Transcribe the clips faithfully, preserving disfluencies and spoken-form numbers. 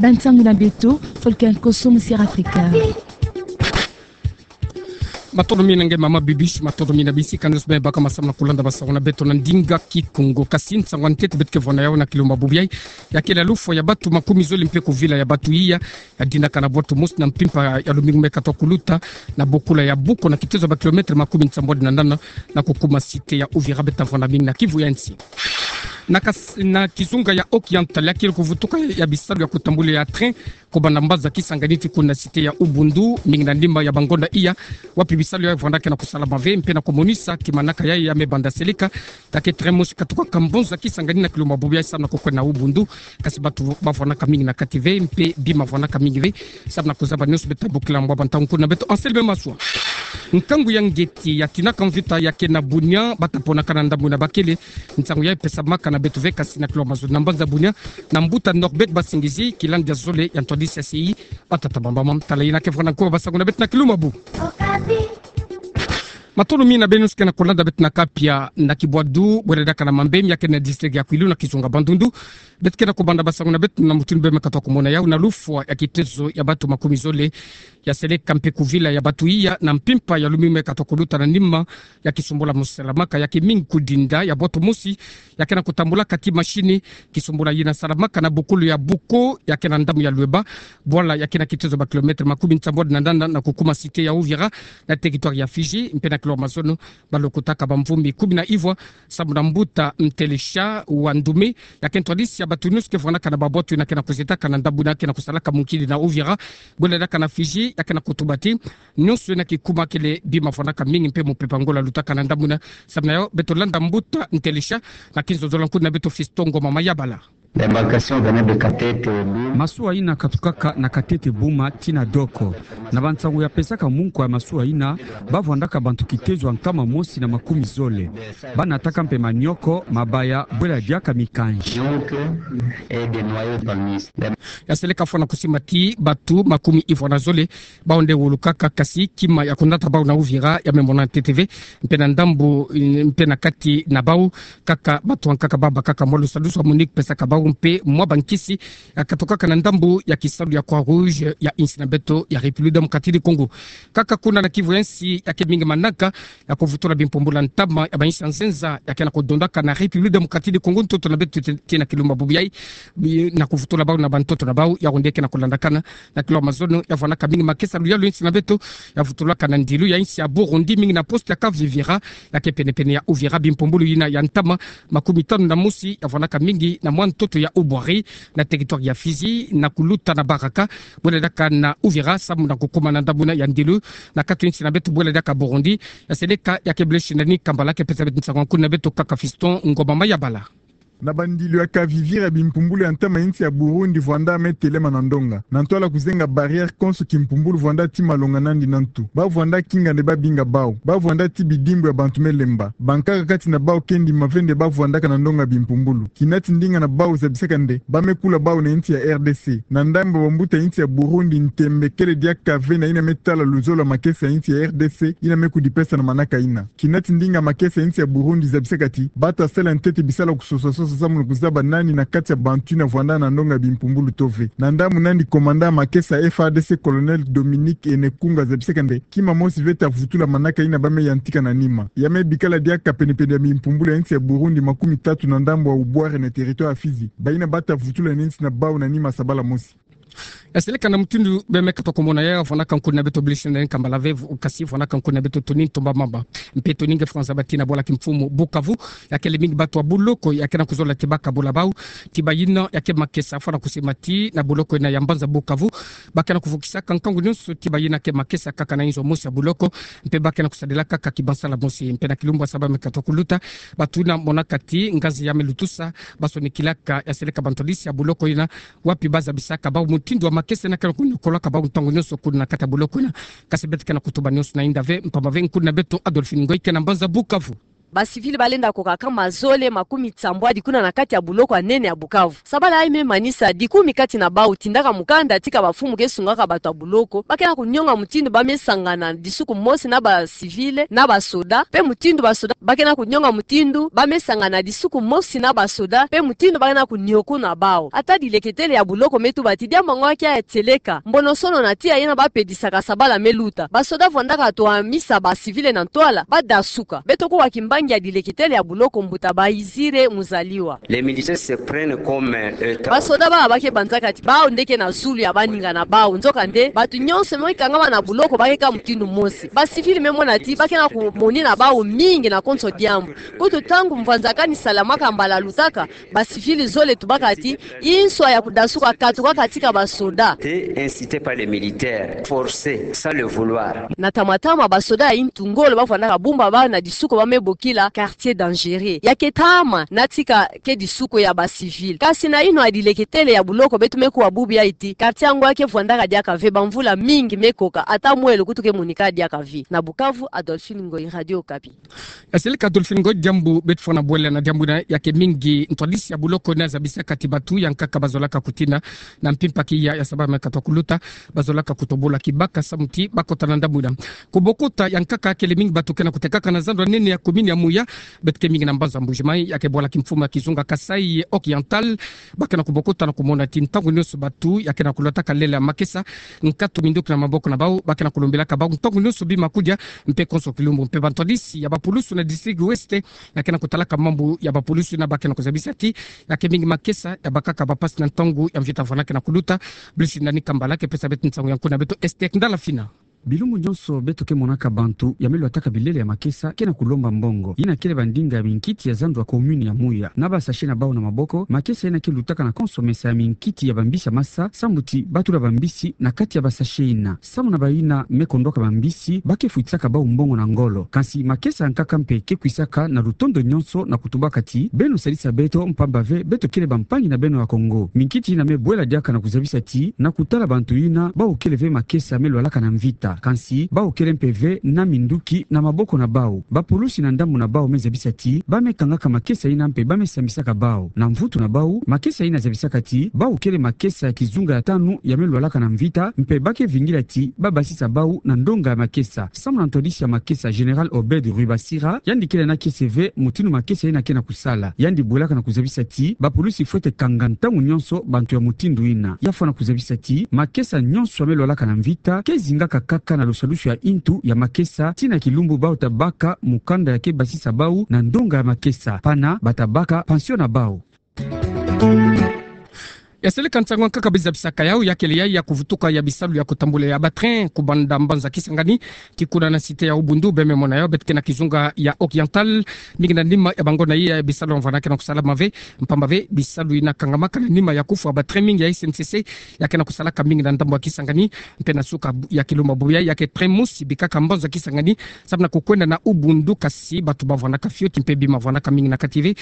Ba nsangu na beto, Volcan Koso, Musière Afrika. Matondo mingi nge mama Bibiche, matondo mingi na bisika nyonso bima baka samu na kulanda basangu na beto na ndinga Kikongo. Kasi nsangu ya ntete beto ke vwanda yau na kilumbu bubu yayi, ya kele lufwa ya batu makumi zole mpe kuvila ya batu iya, ya dinaka na bwatu mosi na mpimpa ya lumingu me katoka kuluta, na bokula ya Boko na kitezo ya ba kilomètre makumi nsambwadi na nana, na kukuma cité ya Uvira. Beto vwanda mingi na Kivu ya nsi. Na kas-, na kizunga ya Occidental, ya kele kuvutuka ya bisalu ya kutambula ya train, kobanda mbanza Kisangani tii kuna cité ya Ubundu, mingi na nima ya bangonda iya, wapi bisalu ya vwandaka na kusalama ve, mpe na kumonisa kimanaka ya, ya me banda seleka, ya ke train mosi katukaka mbanza Kisangani na kilumbu bubu yayi samu na kukwenda na Ubundu, kasi batu ba vwandaka mingi na kati ve, mpe bima vwandaka mingi ve, samu na kuzaba nyonso beto bokila mbwa bantangu kuna beto. Anselme Maswa. Nkangu ya ngeti ya tinaka mvita ya ke na Bunia, bata ponaka na ndambu na bakele, nsangu ya pesamaka na beto ve kasi na kilumbu mazono na mbanza Bunia, na mbuta Norbert Basingizi, kilandi ya zole ya ntwadisi ya sei, bata tabamba mam tala yina ke vwanda nkwa basangu na beto na kilumbu mabu. Matondo mingi na beno nyonso ke na kulanda beto na kapia na kibwadu, bwele diaka na Mambemi ya ke na district ya Kwilu na kizunga Bandundu. Beto ke na kubanda basangu na beto na mutindu bima katoka kumona yau na lufwa ya kitezo ya batu makumi zole, ya seleka mpe kuvila ya batu iya na mpimpa ya lumingu me katoka kuluta na nima ya kisumbula mosi salamaka ya ke mingi kudinda ya bwatu mosi, ya ke na kutambulaka tii machine, kisumbula yina salamaka na bokulu ya Boko, ya ke na ndambu ya Lueba, bwala ya ke na kitezo ba kilomètre makumi nsambwadi na nana na kukuma cité ya Uvira, na territoire ya Fidji, mpe na kilumbu mazono, balokotaka bamvumbi kumi na ivwa, samu na mbuta Ntelesha wa Ndume, ya ke ntwadisi ya batu nyonso ke vwandaka na babwatu yina ke na kuzetaka na ndambu yina ke na kusalaka munkidi na Uvira, bwele diaka na Fidji, ya ke na kutuba tii nyonso yina kikuma kele bima vwandaka mingi mpe mupepe Angola lutaka na ndambu yina. Samu na yo, beto landa mbuta Ntelesha, na kinzonzolo nkuna beto Fiston Ngoma Mayabala. L'embarcation venait de Katete Buma. Masuwa yina katukaka na Katete Buma tii na Doko. Na bansangu ya pesaka munko ya masuwa yina, ba vwandaka bantu kitezo ya nkama mosi na makumi zole. Ba nataka mpe manioko, mabaya, bwele diaka mikanzi. Donc, et des noyaux de palmiste. Ya seleka fwana kusimba tii batu makumi ivwa na zole, bawu nde wulukaka, kasi kima ya kunata bawu na Uvira ya me mona ntete ve, mpe na ndambu, mpe na kati na bawu, kaka batu ankaka ba bakaka mwa lusadusu ya Monique pesaka bawu mpe mwa bankisi, ya katokaka na ndambu ya kisalu ya Croix-Rouge ya insi na beto ya République démocratique du Congo. Kaka kuna na Kivu ya nsi ya ke mingi manaka ya kuvutula bimpumbulu ya ntama ya bainsi ya nzenza ya ke na kudondaka na République démocratique du Congo, ntoto na beto tii na kilumbu bubu yayi, na kuvutula bawu na bantoto na bawu, yawu nde ke na kulandakana na kilumbu mazono. Ya vwandaka mingi makesa luyalu ya insi na beto, ya vutulaka na ndilu ya insi ya Burundi, mingi na poste ya Kavivira, ya ke penepene ya Uvira. Bimpumbulu yina ya ntama makumi tanu na mosi, ya vwandaka mingi na mwa ntoto ya Ubwari, na territoire ya Fizi, na kuluta na Baraka, bwele diaka na Uvira, samu na kukuma na ndambu yina ya ndilu, na kati ya insi na beto bwele diaka Burundi. Ya seleka ya ke Blaise Shindani Kambala ke pesa beto nsangu nkuna beto kaka Fiston Ngoma Mayabala. Na bandilu ya Kavivira, bimpumbulu ya ntama ya insi ya Burundi vwanda me telema na ndonga. Na ntwala kuzenga barrière konso, kimpumbulu vwanda tii malonga nandi na ntu. Ba vwanda kinga nde ba binga bawu. Ba vwanda tii bidimbu ya bantu me lemba. Bankaka kati na bawu ke ndima ve nde ba vwandaka na ndonga bimpumbulu. Kina ti ndinga na bawu zabisaka nde ba me kula bawu na insi ya R D C. Na ndambu ya bambuta insi ya Burundi, ntembe kele diaka ve na yina me tala luzolo ya makesa ya insi ya R D C, yina me kudipesa na manaka yina. Kina ti ndinga makesa ya insi ya Burundi zabisaka ti ba ta sala ntete bisalu ya kusosa-sosa samu na kuzaba nani na kati ya bantu yina vwanda na ndonga bimpumbulu to ve. Na ndambu nandi, commandant makesa F A R D C, colonel Dominique Enekunga, zabisaka nde kima mosi ve ta vutula manaka yina ba me yantika na nima. Ya me bikala diaka penepene ya bimpumbulu ya insi ya Burundi makumi tatu na ndambu ya Ubwari na territoire ya Fizi, bayina ba ta vutula na insi na bawu na nima sabala mosi. Ya seleka na mutindu bima katoka kumona yau, vwandaka nkuna beto Blaise Shindani Kambala ve, kasi vwandaka nkuna beto Tony Ntomba Mamba. Mpe Tony nge fwanza bati na bwala kimfumu Bukavu, ya kele mingi batu ya buloko ya ke na kuzola ti ba kabula bawu, ti bayina ya ke makesa fwana kusimba tii na buloko yina ya mbanza Bukavu. Ba ke na kuvukisaka nkangu nyonso ti bayina ke makesa kaka na inzo mosi ya buloko, mpe ba ke na kusadila kaka kibansala mosi. Mpe na kilumbu ya saba me katoka kuluta, batu yina monaka ti nganzi ya me lutusa, ba sonikilaka, ya seleka bantwadisi ya buloko yina, wapi ba zabisaka bawu mutindu ya makesa yina ke na kunyokolaka bawu ntangu nyonso kuna na kati ya buloko yina. Kasi beto ke na kutuba nyonso na inda ve, mpamba ve nkuna beto Adolphine Ngoy ke na mbanza Bukavu. Ba civil balenda koka kama zole makumi nsambwadi kuna na kati ya buloko ya nene ya Bukavu. Sabala yayi me manisa dikumi kati na bau tindaka mukanda tika bamfumu ke sungaka bato ya buloko, ba ke na kunionga mutindu ba me sangana disuku mosi na ba civil na ba soda, mpe mutindu ba soda ba ke na kunionga mutindu ba me sangana disuku mosi na ba soda, mpe mutindu ba ke na kuniokuna bau. Ata dileketele ya buloko me tuba ti diambu yango ya ke ya tieleka, mbonosono na tiya yena ba pedisaka sabala me luta. Ba soda vwandaka twamisa ba civil na ntwala, ba dasuka. Beto kuwa kimbangi ya dileketele ya buloko mbuta Bayizire Muzaliwa. Les militaires se prennent comme, euh, étant... Ba soda baba ba ke banzaka ti bau nde ke na zulu ya baninga na bau. Nzokande, bato nyonso me kangama na buloko ba ke kaka mutindu mosi. Ba civil me mona ti ba ke na kumonina bau mingi na konso diambu. Kutu ntangu mvwanzakani salamaka mbala lutaka, ba civil zole tubaka ti, inswa ya kudasuka katukaka tika ba soda. Été incité par les militaires, forcé, sans le vouloir. Na ntama-ntama ba soda ya intu ngolo ba vwandaka bumba bau na disuku ba me bokila quartier dangereux. Ya ke ntama na tika ke disuku ya ba civil. Kasi na yinwa ya dileketele ya buloko beto me kuwa bubu yayi ti, quartier yango ya ke vwandaka diaka ve, bamvula mingi me koka, ata mwelo kutu ke monika diaka ve. Na Bukavu, Adolphine Ngoyi, Radio Okapi. Ya seleka Adolphine Ngoyi, diambu beto fwana bwela na diambu yina, ya ke mingi ntwadisi ya buloko yina zabisaka ti bato ya nkaka ba zolaka kutina na mpimpa kiya ya sabala me katuka kuluta, ba zolaka kutobola kibaka samu ti ba kota na ndambu yina. Kubokota ya nkaka, kele mingi bato ke na kutekaka na zando ya nene ya commune ya Muya, beto ke mingi na mbanza Mbuji-Mayi, ya ke bwala kimfumu ya kizunga Kasaï Oriental, ba ke na kubokota na kumona ti ntangu nyonso bato ya ke na kulotaka lele ya makesa, nkatu minduki na maboko na bau, ba ke na kulombilaka bau ntangu nyonso bima kudia, mpe konso kilumbu. Mpe bantwadisi ya bapulusu na district Ouest, ya ke na kutalaka mambu ya bapulusu yina, ba ke na kuzabisa ti ya ke mingi makesa ya bakaka bampasi na ntangu ya mvita vwana ke na kuluta. Blusi Nani Kambala ke pesa beto nsangu ya nkuna beto Esther Ndala Fina. Bilumbu nyonso beto ke monaka bantu ya me lwataka bilele ya makesa ke na kulomba mbongo. Yina kele bandinga ya minkiti ya zando ya commune ya Muya. Na ba sachet na bau na maboko, makesa yina ke lutaka na konso mesa ya minkiti ya bambisi ya masa, samu ti ba tula bambisi na kati ya ba sachet yina. Samu na bayina me kondwaka bambisi, ba ke fwitisaka bau mbongo na ngolo. Kansi makesa ya nkaka mpe ke kwisaka na lutondo nyonso na kutubaka ti: beno sadisa beto, mpamba ve beto kele bampangi na beno ya Kongo. Minkiti yina me bwela diaka na kuzabisa ti na kutala bantu yina, bau kele ve makesa me lwalaka na mvita, kansi bau kele mpe ve na minduki na maboko na bau. Bapulusi na ndambu na bau me zabisa ti ba me kangaka makesa yina mpe ba me sambisaka bau. Na mvutu na bau, makesa yina zabisaka ti bau kele makesa ya kizunga ya tanu ya me lwalaka na mvita, mpe ba ke vingila ti ba basisa bau na ndonga ya makesa. Samu na ntwadisi ya makesa, Général Obed Rubasira, yandi kele na kiese ve mutindu makesa yina ke na kusala. Yandi bwelaka na kuzabisa ti bapulusi fwete kanga ntangu nyonso bantu ya mutindu yina. Ya fwana kuzabisa ti makesa nyonso ya me lwalaka na mvita ke zingaka kaka na lusadusu ya intu ya makesa, tii na kilumbu bau ta baka mukanda ya ke basisa bau na ndonga ya makesa, pana ba ta baka pension na bau. Ya seleka nsangu ya nkaka bizabisaka yawu, ya kele yayi ya kuvutuka ya bisalu ya kutambula ya ba train kubanda mbanza Kisangani tii kuna na cité ya Ubundu. Be me mona yawu, beto ke na kizunga ya Oriental, mingi na nima ya bangonda iya ya bisalu ya mvana ke na kusalama ve, mpamba ve bisalu yina kangamaka na nima ya kufwa ba train mingi ya S N C C ya ke na kusalaka mingi na ndambu ya Kisangani. Mpe na suka bu-, ya kilumbu bubu yayi, ya ke train mosi bikaka mbanza Kisangani samu na kukwenda na Ubundu, kasi bantu ba vwanaka fioti mpe bima vwanaka mingi na kati ve.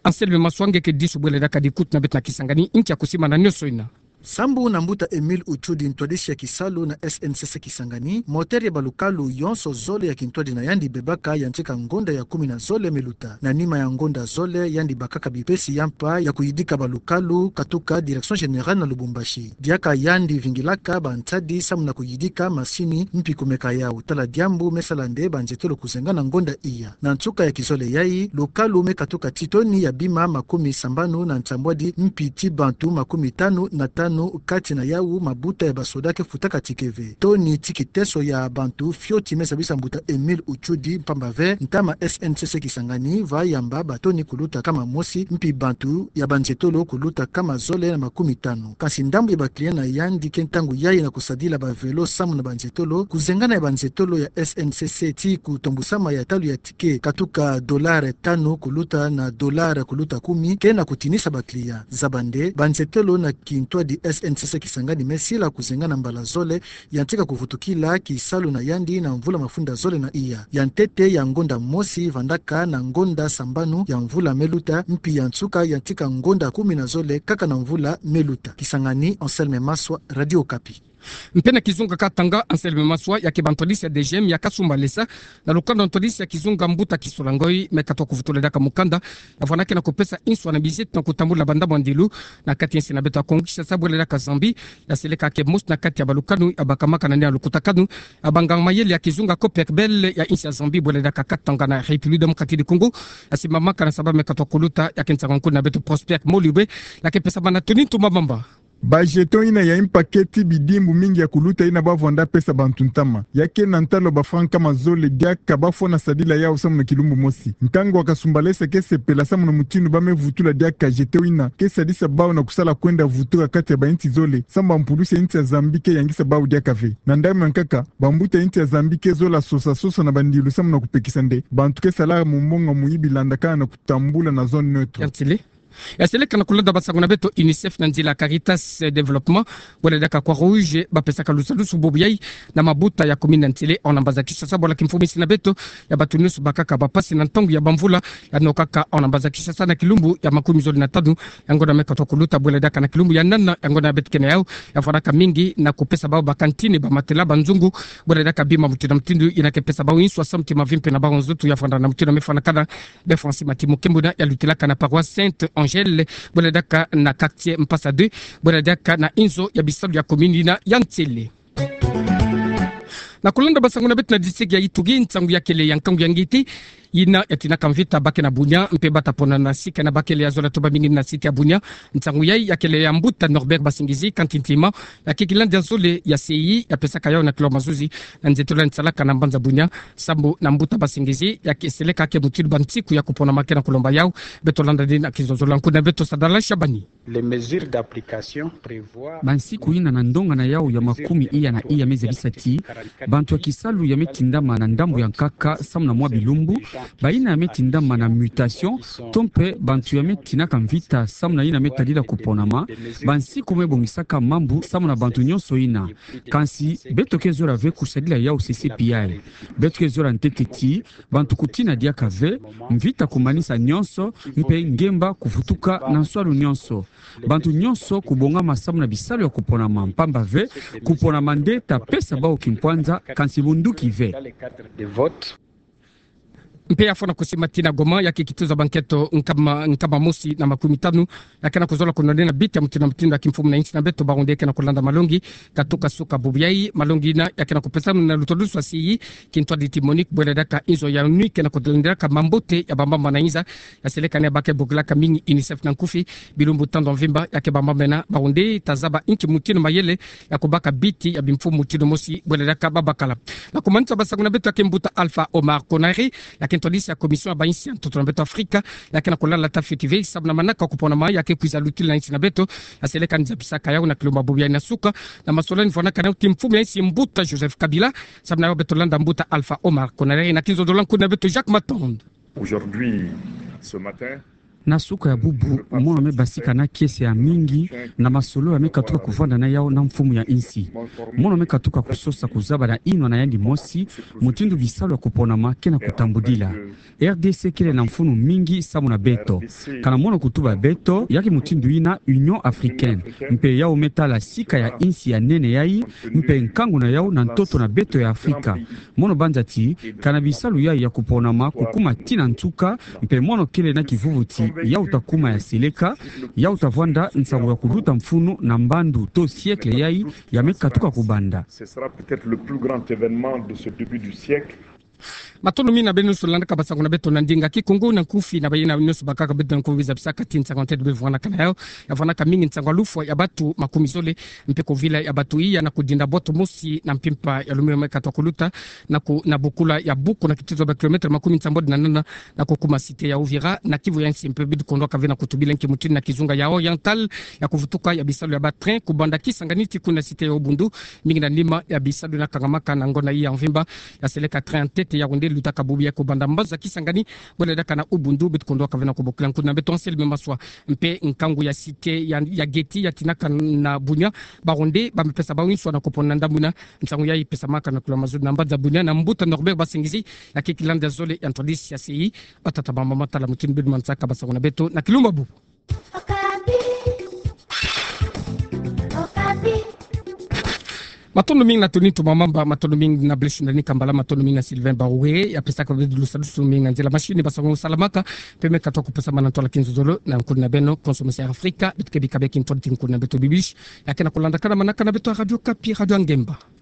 Anselme Maswa nge ke disu bwela diaka dikutu na beto na Kisangani, nki ya kusimana nyonso yina. Sambu na mbuta Emile Uchudi, ntwadisi ya kisalu na S N C C Kisangani, moteur ya balukalu yonso zole ya kintwadi na yandi bebaka yantika ngonda ya kumi na zole me luta. Na nima ya ngonda zole, yandi bakaka bipesi ya mpa ya kuyidika balukalu katuka Direction Générale na Lubumbashi. Diaka yandi vingilaka bansadi samu na kuyidika masini mpi kumeka yawu. Tala diambu me sala nde banzietolo kuzenga na ngonda iya. Na nsuka ya kizole yayi, lukalu me katuka tii toni ya bima makumi sambanu na nsambwadi mpi tii bantu makumi tanu na tanu, kati na yawu mabuta ya basoda ke futaka ticket ve. Toni tii kiteso ya bantu fioti, me zabisa mbuta Emile Uchudi, mpamba ve ntama S N C C Kisangani va yamba batoni kuluta kama mosi mpi bantu ya banzietolo kuluta kama zole na makumi tanu. Kasi ndambu ya ba client na yandi ke ntangu yayi na kusadila ba vélo samu na banzietolo. Kuzengana ya banzietolo ya S N C C tii kutombusama ya talu ya ticket katuka dollar tanu kuluta na dollar kuluta kumi ke na kutinisa ba client. Zaba nde, banzietolo na kintwadi S N C C Kisangani me sila kuzengana mbala zole yantika kuvutukila kisalu na yandi na mvula mafunda zole na iya. Ya ntete ya ngonda mosi vandaka na ngonda sambanu ya mvula me luta, mpi ya nsuka yantika ngonda kumi na zole kaka na mvula me luta. Kisangani, Anselme Maswa, Radio Okapi. Mpe na kizunga katanga, Anselme Maswa, ya ke ba ntwadisi ya DGM ya kasumbalesa na lukanda ntwadisi ya kizunga mbuta Kisolangoi me katoa kuvutula diaka mukanda ya vwanda ke na kupesa inswa na biziti na kutambula ba ndambu ya ndilu na kati ya insi na beto ya Kongo Kinshasa bwele diaka Zambie, ya seleka ke mosi na kati ya balukanu ya bakamaka na nia lukutakanu ya banganga mayele ya kizunga Copperbell ya insi ya Zambie bwele diaka katanga na République Démocratique du Congo, ya simbamaka na saba me katoa kuluta ya ke nsangu nkuna beto Prosper Molibe, ya ke pesa bana Tony Ntumba Mamba. Ba jeton ina ya impaketi bidimbu mingi ya kuluta ina ba vwanda pesa bantu ntama. Ya ke na ntalo ba franc nkama zole diaka ba fwana sadila yau samu na kilumbu mosi. Nkangu wa kasumbalesa ke sepela samu na mutindu ba me vutula diaka jeton ina ke sadisa bau na kusala kwenda vutuka kati ya ba insi zole, samu ba mpulusi ya insi ya Zambie ke yangisa bau diaka ve. Na ndambu ya nkaka, ba mbuta ya insi ya Zambie ke zola sosa sosa na ba ndilu samu na kupekisa nde bantu ke sala mumonga muyibi landakana na kutambula na zone neutre. Ya ntele. Ya seleka na kulanda ba nsangu na beto, UNICEF na nzila Caritas Développement, bwele diaka Croix Rouge, ba pesaka lusalusu bobo yai na mabuta ya commune ya ntele, hors na mbanza Kinshasa, bwele kimfumu insi na beto ya bato nyonso bakaka ba pasi na ntangu ya ba mvula, ya nokaka hors na mbanza Kinshasa na kilumbu ya makumizole na tanu ya ngonda me katoa kuluta, bwele diaka na kilumbu ya nana ya ngonda beto ke na yau, ya vwandaka mingi na kupesa bau ba cantine, ba matela, ba nzungu, bwele diaka bima mutindu na mutindu, ina ke pesa bau inswa samu ti mavimpe na bau nzoto ya vwanda na mutindu me fwanakana. Be Francis Matimu Kembuna ya lutilaka na paroisse Sainte Angèle, bwele diaka na quartier Mpasa deux, bwele diaka na inzo ya bisalu ya commune ina ya ntele. Na kulanda ba nsangu na beto na district ya Ituri, nsangu ya kele ya nkangu ya ngiti ina ya tinaka mvita ba ke na Bunia, mpe ba ta pona na sika na ba kele ya zola toba mingi na site ya Bunia. Nsangu yai ya kele ya mbuta Norbert Basingizi, kanti ntima, ya ke kilandi ya zole ya C I, ya pesaka yau na kilo mazuzi na nzetolo ya nsalaka na mbanza Bunia, samu na mbuta Basingizi, ya ke seleka ke mutindu ba nsiku ya kuponama ke na kulomba yau. Beto landa ni na kizozolo nkuna beto Sadala Shabani. Les mesures d'application prévoient... Ba nsiku ina na ndonga na yau ya makumi iya na iya me zebisa ti bantu ya kisalu ya me tindama na ndambu ya nkaka samu na mwa bilumbu, ba ina ya me tindama na mutation, to mpe bantu ya me tinaka mvita samu na ina me tadila kuponama, ba nsiku me bongisaka mambu samu na bantu nyonso ina. Kansi beto ke zola ve kusadila yau sese pi yai. Beto ke zola ntete ti bantu kutina diaka ve, mvita kumanisa nyonso, mpe ngemba kuvutuka na nswalu nyonso. Bantu nyonso kubongama samu na bisalu ya kuponama, mpamba ve kuponama nde ta pesa bau kimpwanza, kansi munduki ve. Mpe ya fwana kusimba ti na Goma, ya ke kituza ba nkento nkama, nkama mosi na makumi tanu ya ke na kuzola kunonena biti ya mutindu na mutindu ya kimfumu na insi na beto, ba rwandais ke na kulanda malongi katuka suka bubu yai. Malongi ina ya ke na kupesama na lutwadusu ya C I, kintwadi ti Monique, bwele diaka inzo ya ONU ke na kulandelaka mambote ya bamama na inza. Ya seleka ni ya ba ke bokilaka mingi UNICEF na nkufi, bilumbu tandu ya mvimba ya ke bamama na ba rwandais ta zaba inki mutindu mayele ya kubaka biti ya bimfumu mutindu mosi, bwele diaka babakala. Na kumanisa ba nsangu na beto, ya ke mbuta Alpha Omar Konaré, ya ke ntwadisi ya commission ya ba insi ya ntoto na beto Afrika, ya ke na kulalata fioti ve samu na manaka kuponama ya ke kwiza lutila na insi na beto. Ya seleka ni zabisaka yau na kilumbu ya bubu yai na suka na masolani vwanaka na yau ti mfumu ya insi, mbuta Joseph Kabila. Samu na yau beto landa mbuta Alpha Omar Konaré na kizozolo nkuna beto Jacques Matonde. Aujourd'hui, ce matin, na suka ya bubu, mono me basika na kiese ya mingi na masolo ya me katuka kuvanda na yau na mfumu ya insi. Mono me katuka kusosa kuzaba na inwa na yandi mosi mutindu bisalu ya kuponama ke na kutambudila. R D C kele na mfunu mingi samu na beto. Kana mono kutuba beto, ya ke mutindu ina Union Africaine, mpe yau me tala sika ya insi ya nene yai, mpe nkangu na yau na ntoto na beto ya Afrika. Mono banza ti kana bisalu yai ya kuponama kukuma ti na nsuka, mpe mono kele na kivuvu ti yau ta kuma ya seleka, yau ta vwanda nsangu ya kuluta mfunu na mbandu to siècle yai ya me katuka kubanda. Ce sera peut-être le plus grand événement de ce début du siècle. Matondo mingi na beno nyonso landaka ba nsangu na beto na ndinga Kikongo na nkufi, na bayina nyonso bakaka beto na nkufi, zabisaka ti nsangu ya ntete bevwanaka na yau, ya vwanaka mingi nsangu ya lufwa ya batu makumi zole, mpe kuvila ya batu iya na kudinda boto mosi na mpimpa ya lumbu me katuka kuluta, na ku, na bukula ya buku na kituzo ba kilomètre makumi nsambwadi na nana, na kukuma cité ya Uvira, na kivu ya insi mpe. Beto kondwaka ve na kutubila nki mutindu na kizunga ya Oriental ya kuvutuka ya bisalu ya ba train kubanda Kisangani ti kuna cité ya Ubundu, mingi na nima ya bisalu na kangamaka na ngonda iya ya mvimba. Ya seleka train ya ntete ya rwandais lutaka bubu yai kubanda mbanza Kisangani, bwele diaka na Ubundu. Beto kondwaka ve na kubokila nkuna beto Anselme Maswa, mpe nkangu ya cité ya, ya Geti ya tinaka na Bunia, ba rwandais ba me pesa bau inswa na kupona na ndambu ina. Nsangu yai pesamaka na kilo mazuzi na mbanza Bunia na mbuta Norbert Basingizi, ya ke kilandi ya zole ya ntwadisi ya C I. Batata, bamama, tala mutindu beto manisaka ba nsangu na beto na kilumbu ya bubu. Matondo mingi na toni tumamamba, matondo mingi na Blaise Ndani Kambala, matondo mingi na Sylvain Bawe, ya pesaka beto lusadusu mingi na nzila mashini, basa ngo salamaka, peme katoa kupusa mana ntwala kinzozolo na nkuna beno, konso masi Afrika, beto kebika bia kintwadi nkuna beto bibishi, ya kena kulandakana manaka na beto Radio Okapi, Radio Angemba.